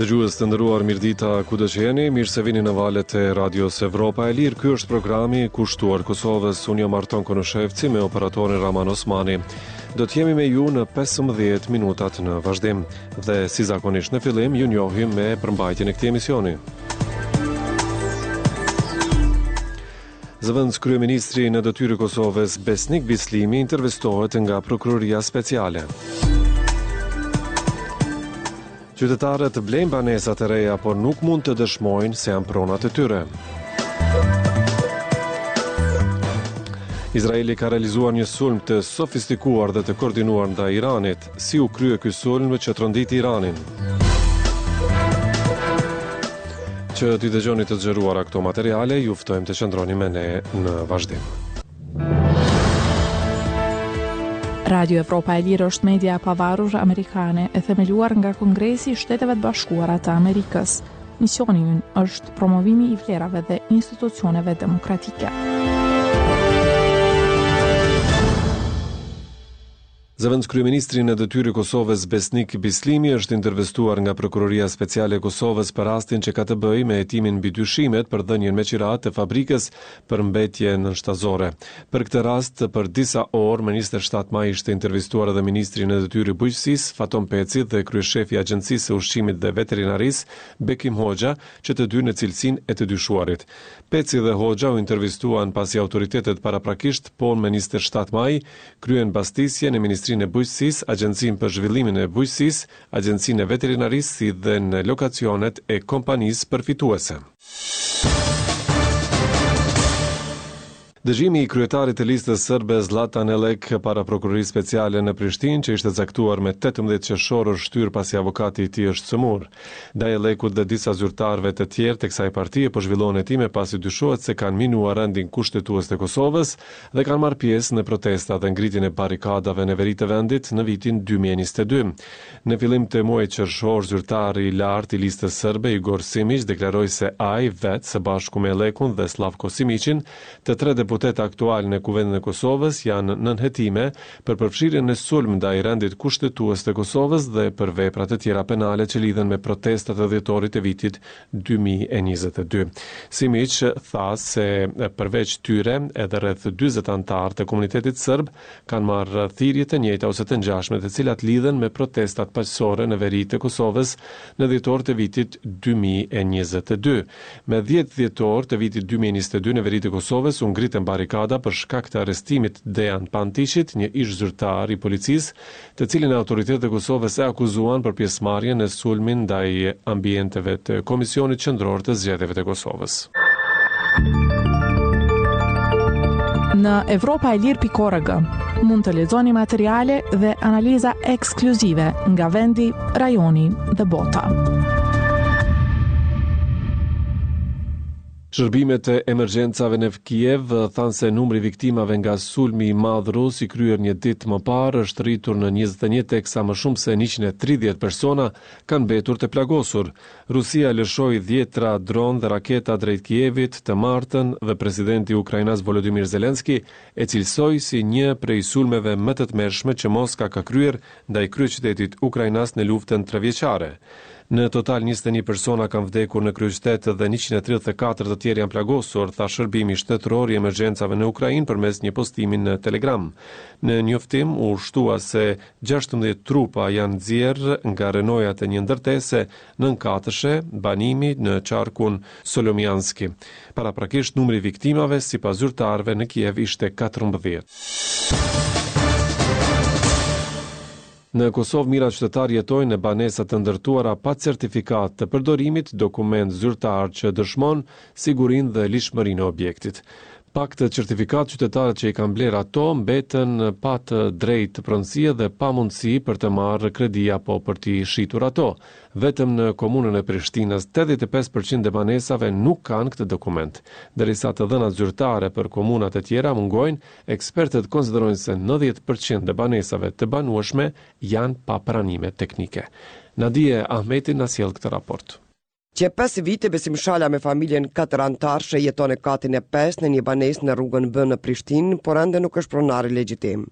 Dëgjues të nderuar, mirëdita kudo që jeni, mirë se vini në valët e Radios Evropa e Lirë. Ky është programi kushtuar Kosovës. Unë jam Arton Konushevci me operatorin Raman Osmani. Do të jemi me ju në 15 minutat në vazhdim dhe si zakonisht në fillim ju njohim me përmbajtjen e këtij emisioni. Zëvendëskryeministri në detyrë i Kosovës, Besnik Bislimi, intervistohet nga Prokuroria Speciale. Qytetarët blejnë banesa të reja, por nuk mund të dëshmojnë se janë pronat e tyre. Izraeli ka realizuar një sulm të sofistikuar dhe të koordinuar ndaj Iranit. Si u krye ky sulm që tronditi Iranin? Që t'i dëgjoni të zgjeruara këto materiale, ju ftojmë të qëndroni me ne në vazhdim. Radio Evropa e Lirë është media e pavarur amerikane e themeluar nga Kongresi i Shteteve të Bashkuara të Amerikës. Misioni ynë është promovimi i vlerave dhe institucioneve demokratike. Zëvendëskryeministri në detyrë i Kosovës, Besnik Bislimi, është intervistuar nga Prokuroria Speciale e Kosovës për rastin që ka të bëjë me hetimin mbi dyshimet për dhënien me qira të fabrikës për mbetje nënshtazore. Për këtë rast, për disa orë, më 27 maj ishte intervistuar edhe ministri në detyrë i Bujqësisë, Faton Peci dhe kryeshefi i Agjencisë së Ushqimit dhe Veterinarisë, Bekim Hoxha, që të dy në cilësinë e të dyshuarit. Peci dhe Hoxha u intervistuan pasi autoritetet paraprakisht po më 27 maj kryen bastisje në Ministrinë e Bujqësisë, Agjencinë për Zhvillimin e Bujqësisë, Agjencinë e Veterinarisë si dhe në lokacionet e kompanisë përfituese. Dëgjimi i kryetarit të Listës Serbe Zllatan Ellek para Prokurorisë Speciale në Prishtinë, që ishte caktuar me 18 qershor është shtyrë pasi avokati i tij është sëmurë. Ndaj Ellekut dhe disa zyrtarëve të tjerë të kësaj partie po zhvillohen hetime pasi dyshohet se kanë minuar rendin kushtetues të Kosovës dhe kanë marrë pjesë në protesta dhe ngritjen e barrikadave në veri të vendit në vitin 2022. Në fillim të muajit qershor, zyrtari i lartë i Listës Serbe, Igor Simiq, deklaroi se ai vetë, së bashku me Ellekun dhe Slavko Simiqin, të tre deputetë aktualë në Kuvendin e Kosovës janë nën hetime për përfshirjen në sulm ndaj rendit kushtetues të Kosovës dhe për vepra të tjera penale që lidhen me protestat e dhjetorit të vitit 2022. Simiq tha se përveç tyre edhe rreth 40 anëtarë të komunitetit serb kanë marrë thirrje të njëjta ose të ngjashme të cilat lidhen me protestat paqësore në veri të Kosovës në dhjetor të vitit 2022. Me 10 dhjetor të vitit 2022 në veri të Kosovës u ngritën barrikada për shkak të arrestimit Dejan Pantiqit, një ish zyrtar i policisë, të cilin autoritetet e Kosovës e akuzuan për pjesëmarrje në sulmin ndaj ambienteve të Komisionit Qendror të Zgjedhjeve të Kosovës. Në evropaelire.org mund të lexoni materiale dhe analiza ekskluzive nga vendi, rajoni dhe bota. Shërbimet e emergjencave në Kiev thanë se numri i viktimave nga sulmi i madh rus i kryer një ditë më parë është rritur në 21 teksa më shumë se 130 persona kanë mbetur të plagosur. Rusia lëshoi dhjetra dronë dhe raketa drejt Kievit të martën dhe presidenti ukrainas Volodymyr Zelensky e cilësoi si një prej sulmeve më të tmerrshme që Moska ka kryer ndaj kryeqytetit ukrainas në luftën trevjeçare. Në total 21 persona kanë vdekur në kryeqytet dhe 134 të tjerë janë plagosur, tha shërbimi shtetëror i emergjencave në Ukrainë përmes një postimi në Telegram. Në njoftim u shtua se 16 trupa janë nxjerrë nga rrënojat e një ndërtese nëntëkatëshe banimi në qarkun Solomianski. Paraprakisht numri i viktimave sipas zyrtarëve në Kiev ishte 14. Në Kosovë mijëra qytetarë jetojnë në banesa të ndërtuara pa certifikatë të përdorimit, dokument zyrtar që dëshmon sigurinë dhe ligjshmërinë e objektit. Pa këtë certifikatë qytetarët që i kanë blerë ato mbeten pa të drejtë pronësie dhe pa mundësi për të marrë kredi apo për t'i shitur ato. Vetëm në komunën e Prishtinës 85% e banesave nuk kanë këtë dokument. Derisa të dhënat zyrtare për komunat e tjera mungojnë, ekspertët konsiderojnë se 90% e banesave të banueshme janë pa pranime teknike. Nadie Ahmeti na sjell këtë raport. Qe pesë vite Besim Shala me familjen katëranëtarëshe jeton në katin e pestë në një banesë në rrugën B në Prishtinë, por ende nuk është pronari legjitim.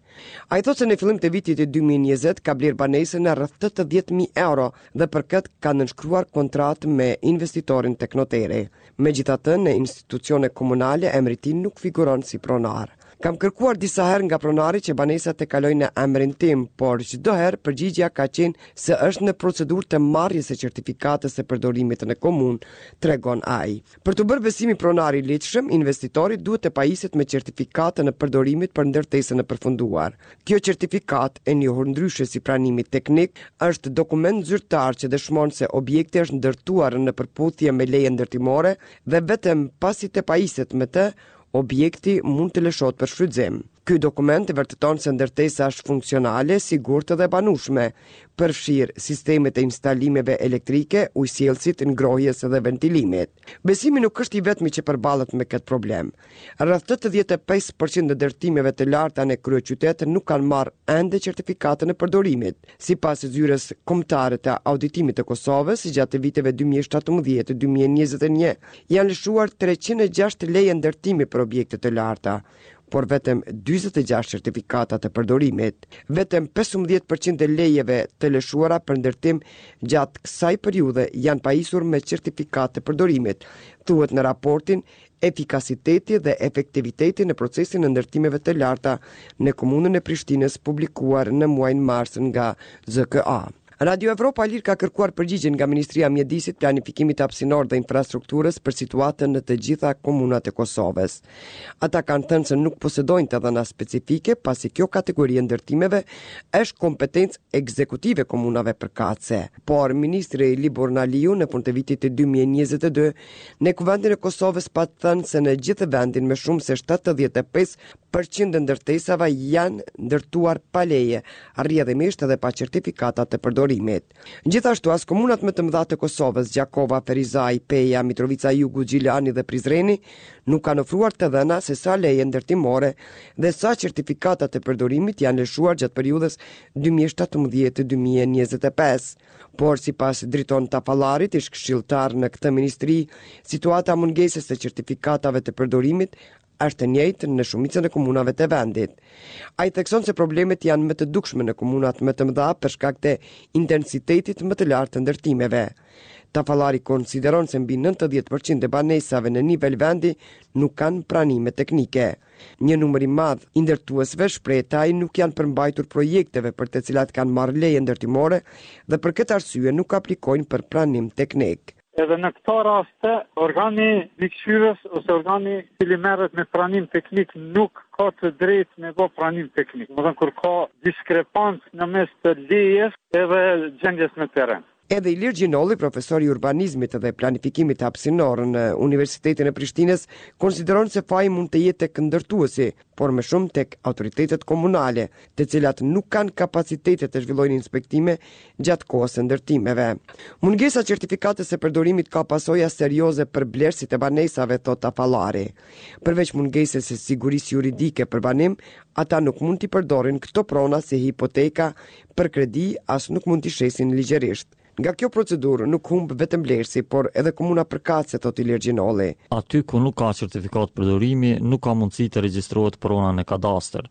Ai thotë se në fillim të vitit 2020 ka blerë banesën në rreth 80.000 euro dhe për këtë ka nënshkruar kontratë me investitorin tek noteri. Megjithatë, në institucione komunale emri i tij nuk figuron si pronar. Kam kërkuar disa herë nga pronari që banesa të kalojë në emrin tim, por çdo herë përgjigja ka qenë se është në procedurë të marrjes së certifikatës së përdorimit në komunë, tregon ai. Për t'u bërë Besimi pronar i ligjshëm, investitori duhet të pajiset me certifikatën e përdorimit për ndërtesën e përfunduar. Kjo certifikatë, e njohur ndryshe si pranimi teknik, është dokument zyrtar që dëshmon se objekti është ndërtuar në përputhje me lejen ndërtimore dhe vetëm pasi të pajiset me të, Objekti mund të lëshohet për shfrytëzim. Ky dokument vërteton se ndërtesa është funksionale, e sigurt dhe e banueshme, përfshirë sistemet e instalimeve elektrike, ujësjellësit, ngrohjes dhe ventilimit. Besimi nuk është i vetmi që përballet me këtë problem. Rreth 85 për qind e ndërtimeve të larta në kryeqytet nuk kanë marrë ende certifikatën e përdorimit. Sipas Zyrës Kombëtare të Auditimit të Kosovës, gjatë viteve 2017 2021 janë lëshuar 306 leje ndërtimi për objekte të larta, por vetëm 46 certifikata të përdorimit. Vetëm 15% e lejeve të lëshuara për ndërtim gjatë kësaj periudhe janë pajisur me certifikatë të përdorimit, thuhet në raportin Efikasiteti dhe efektiviteti në procesin e ndërtimeve të larta në Komunën e Prishtinës publikuar në muajin mars nga ZKA. Radio Evropa e Lirë ka kërkuar përgjigje nga Ministria e Mjedisit, Planifikimit Hapësinor dhe Infrastrukturës për situatën në të gjitha komunat e Kosovës. Ata kanë thënë se nuk posedojnë të dhëna specifike, pasi kjo kategori e ndërtimeve është kompetencë ekzekutive e komunave përkatëse. Por, ministri Liburn Aliu në fund të vitit 2022 Në Kuvendin e Kosovës pat thënë se në gjithë vendin më shumë se 75 për qind e ndërtesave janë ndërtuar pa leje, rrjedhimisht edhe pa certifikata të përdorimit. Gjithashtu, as komunat më të mëdha të Kosovës, Gjakova, Ferizaj, Peja, Mitrovica e Jugut, Gjilani dhe Prizreni, nuk kanë ofruar të dhëna se sa leje ndërtimore dhe sa certifikata të përdorimit janë lëshuar gjatë periudhës 2017-2025. Por sipas Driton Tafallarit, ish këshilltar në këtë ministri, situata e mungesës së certifikatave të përdorimit është e njëjtë në shumicën e komunave të vendit. Ai thekson se problemet janë më të dukshme në komunat më të mëdha për shkak të intensitetit më të lartë të ndërtimeve. Tafallari konsideron se mbi 90% e banesave në nivel vendi nuk kanë pranime teknike. Një numër i madh i ndërtuesve, shprehet ai, nuk janë përmbajtur projekteve për të cilat kanë marrë leje ndërtimore dhe për këtë arsye nuk aplikojnë për pranim teknik. Edhe në këto raste, organi mbikëqyrës ose organi i cili merret me pranim teknik nuk ka të drejtë me bo pranim teknik. Domethënë kur ka diskrepancë në mes të lejes edhe gjendjes në terren. Edhe Ilir Gjinolli, profesor i urbanizmit dhe planifikimit hapësinor në Universitetin e Prishtinës, konsideron se faji mund të jetë tek ndërtuesi, por më shumë tek autoritetet komunale, të cilat nuk kanë kapacitete të zhvillojnë inspektime gjatë kohës së ndërtimeve. Mungesa e certifikatës së përdorimit ka pasoja serioze për blerësit e banesave, thotë Tafallari. Përveç mungesës së sigurisë juridike për banim, ata nuk mund t'i përdorin këto prona si hipoteka për kredi as nuk mund t'i shesin ligjërisht. Nga kjo procedurë nuk humb vetëm blerësi, por edhe komuna përkatëse, thotë Ilir Gjinolli. Aty ku nuk ka certifikatë përdorimi, nuk ka mundësi të regjistrohet prona në kadastër.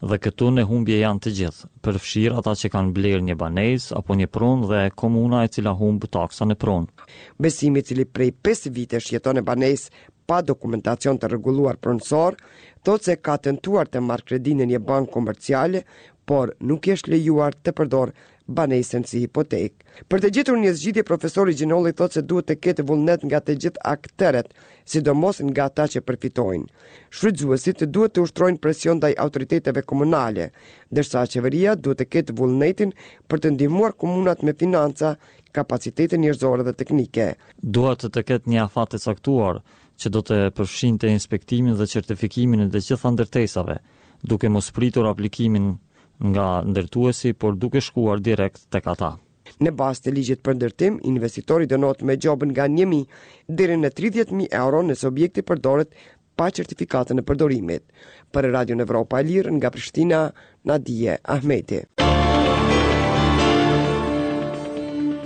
Dhe këtu në humbje janë të gjithë, përfshirë ata që kanë blerë një banesë apo një pronë dhe komuna e cila humb taksa në pronë. Besimi, i cili prej pesë vitesh jeton në banesë pa dokumentacion të rregulluar pronësor, thotë se ka tentuar të marrë kredi në një bankë komerciale, por nuk i është lejuar të përdorë banesën si hipotekë. Për të gjetur një zgjidhje, profesori Gjinolli thotë se duhet të ketë vullnet nga të gjithë akterët, sidomos nga ata që përfitojnë. Shfrytëzuesit duhet të ushtrojnë presion ndaj autoriteteve komunale, ndërsa qeveria duhet të ketë vullnetin për të ndihmuar komunat me financa, kapacitete njerëzore dhe teknike. Duhet të ketë një afat të caktuar, që do të përfshinte inspektimin dhe certifikimin e të gjitha ndërtesave, duke mos pritur aplikimin nga ndërtuesi, por duke shkuar direkt tek ata. Në bazë të ligjit për ndërtim, investitori dënohet me gjobë nga 1.000 deri në 30.000 euro nëse objekti përdoret pa certifikatën e përdorimit. Për Radion Evropa e Lirë nga Prishtina, Nadije Ahmeti.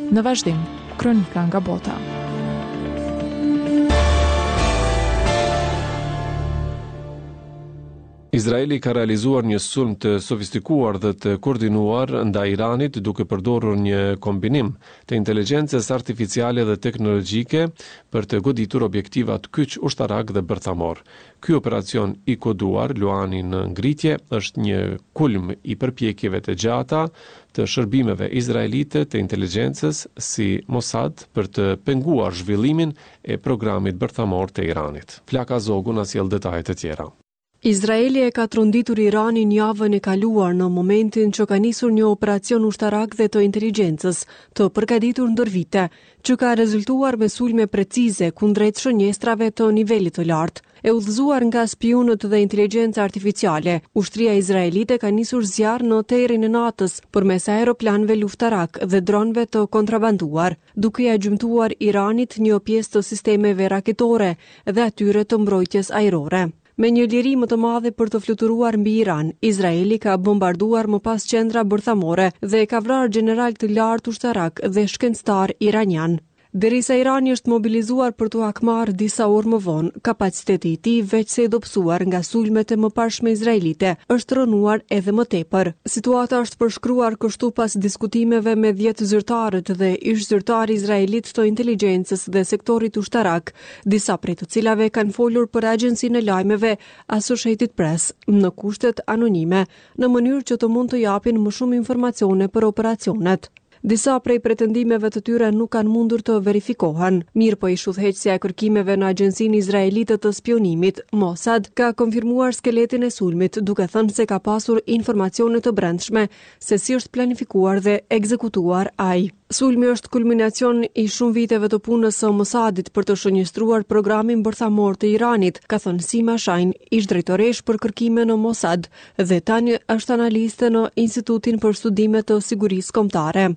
Në vazhdim, kronika nga bota. Izraeli ka realizuar një sulm të sofistikuar dhe të koordinuar ndaj Iranit duke përdorur një kombinim të inteligjencës artificiale dhe teknologjike për të goditur objektivat kyç ushtarakë dhe bërthamorë. Ky operacion i koduar Luani në ngritje është një kulm i përpjekjeve të gjata të shërbimeve izraelite të inteligjencës si Mossad për të penguar zhvillimin e programit bërthamor të Iranit. Flaka Zogu na sjell detaje të tjera. Izraeli e ka tronditur Iranin javën e kaluar në momentin që ka nisur një operacion ushtarak dhe të inteligjencës, të përgatitur ndër vite, që ka rezultuar me sulme precize kundrejt shënjestrave të nivelit të lartë. E udhëzuar nga spiunët dhe inteligjenca artificiale, ushtria izraelite ka nisur zjarr në terrin e natës përmes aeroplanëve luftarakë dhe dronëve të kontrabanduar, duke ia gjymtuar Iranit një pjesë të sistemeve raketore dhe atyre të mbrojtjes ajrore. Me një liri më të madhe për të fluturuar mbi Iran, Izraeli ka bombarduar më pas qendra bërthamore dhe ka vrarë gjeneralë të lartë ushtarakë dhe shkencëtarë iranianë. Derisa Irani është mobilizuar për t'u hakmarrë disa orë më vonë, kapaciteti i tij, veçse i dobësuar nga sulmet e mëparshme izraelite, është rrënuar edhe më tepër. Situata është përshkruar kështu pas diskutimeve me 10 zyrtarët dhe ish-zyrtarë izraelitë të inteligjencës dhe sektorit ushtarak, disa prej të cilave kanë folur për agjencinë e lajmeve Associated Press në kushtet anonime, në mënyrë që të mund të japin më shumë informacione për operacionet. Disa prej pretendimeve të tyre nuk kanë mundur të verifikohen. Mirëpo ish-udhëheqësja e kërkimeve në agjencinë izraelite të spiunimit, Mossad, ka konfirmuar skeletin e sulmit, duke thënë se ka pasur informacione të brendshme se si është planifikuar dhe ekzekutuar ai. Sulmi është kulminacion i shumë viteve të punës së Mossadit për të shënjestruar programin bërthamor të Iranit, ka thënë Sima Shine, ish-drejtoreshë për kërkime në Mossad, dhe tani është analiste në Institutin për Studime të Sigurisë Kombëtare.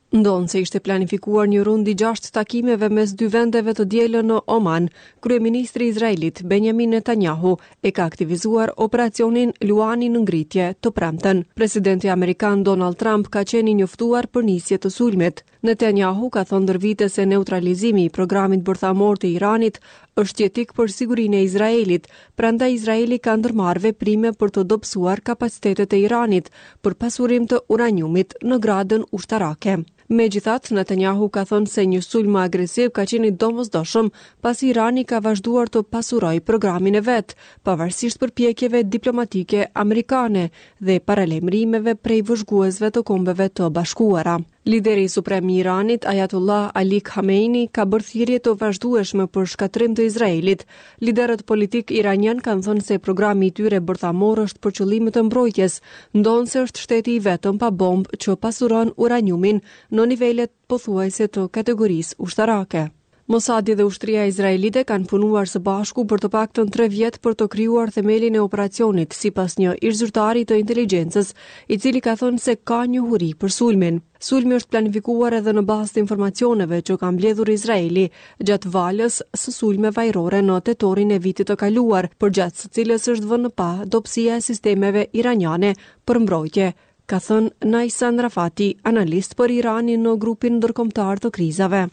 Ndonëse ishte planifikuar një rund i gjashtë takimeve mes dy vendeve të dielën në Oman, kryeministri izraelit Benjamin Netanyahu e ka aktivizuar operacionin Luani në ngritje të premten. Presidenti amerikan Donald Trump ka qenë i njoftuar për nisje të sulmit. Netanyahu ka thënë ndër vite se neutralizimi i programit bërthamor të Iranit është jetik për sigurinë e Izraelit, prandaj Izraeli ka ndërmarrë veprime për të dobësuar kapacitetet e Iranit për pasurim të uraniumit në gradën ushtarake. Megjithatë, Netanyahu ka thënë se një sulm më agresiv ka qenë i domosdoshëm, pasi Irani ka vazhduar të pasurojë programin e vet, pavarësisht përpjekjeve diplomatike amerikane dhe paralajmërimeve prej vëzhguesve të Kombeve të Bashkuara. Lideri suprem i Iranit, Ayatollah Ali Khamenei, ka bërë thirrje të vazhdueshme për shkatërrim të Izraelit. Liderët politikë iranianë kanë thënë se programi i tyre bërthamor është për qëllime të mbrojtjes, ndonëse është shteti i vetëm pa bombë që pasuron uraniumin në nivelet pothuajse të kategorisë ushtarake. Mossadi dhe ushtria izraelite kanë punuar së bashku për të paktën 3 vjet për të krijuar themelin e operacionit, sipas një ish-zyrtari të inteligjencës, i cili ka thënë se ka njohuri për sulmin. Sulmi është planifikuar edhe në bazë të informacioneve që ka mbledhur Izraeli gjatë valës së sulmeve ajrore në tetorin e vitit të kaluar, përgjatë së cilës është vënë në pah dobësia e sistemeve iraniane për mbrojtje, ka thënë Naysan Rafati, analist për Iranin në grupin ndërkombëtar të krizave.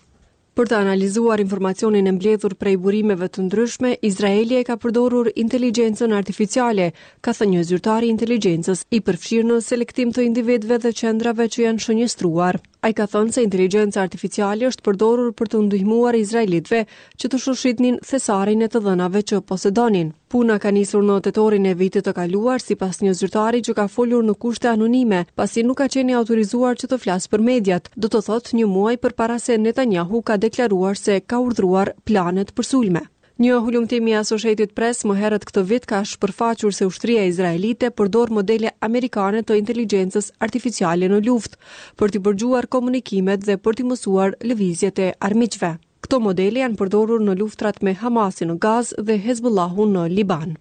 Për të analizuar informacionin e mbledhur prej burimeve të ndryshme, Izraeli e ka përdorur inteligjencën artificiale, ka thënë një zyrtar i inteligjencës, i përfshirë në selektim të individëve dhe qendrave që janë shënjestruar. Ai ka thënë se inteligjenca artificiale është përdorur për të ndihmuar izraelitëve që të shoshitnin thesarin e të dhënave që posedonin. Puna ka nisur në tetorin e vitit të kaluar, sipas një zyrtari që ka folur në kushte anonime, pasi nuk ka qenë i autorizuar që të flasë për mediat, do të thotë një muaj përpara se Netanyahu ka deklaruar se ka urdhëruar planet për sulme. Një hulumtim i Associated Press më herët këtë vit ka shpërfaqur se ushtria izraelite përdor modele amerikane të inteligjencës artificiale në luftë, për t'i përgjuar komunikimet dhe për t'i mësuar lëvizjet e armiqve. Këto modele janë përdorur në luftrat me Hamasin në Gazë dhe Hezbollahun në Liban.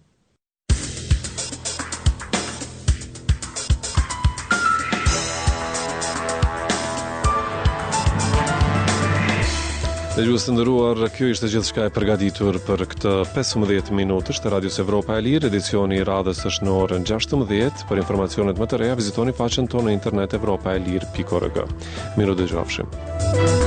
Dëgjues të nderuar, kjo ishte gjithçka e përgatitur për këtë 15 minutësh të Radios Evropa e Lirë. Edicioni i radhës është në orën 16. Për informacionet më të reja vizitoni faqen tonë në internet evropaelire.org. Mirudëgjofshim.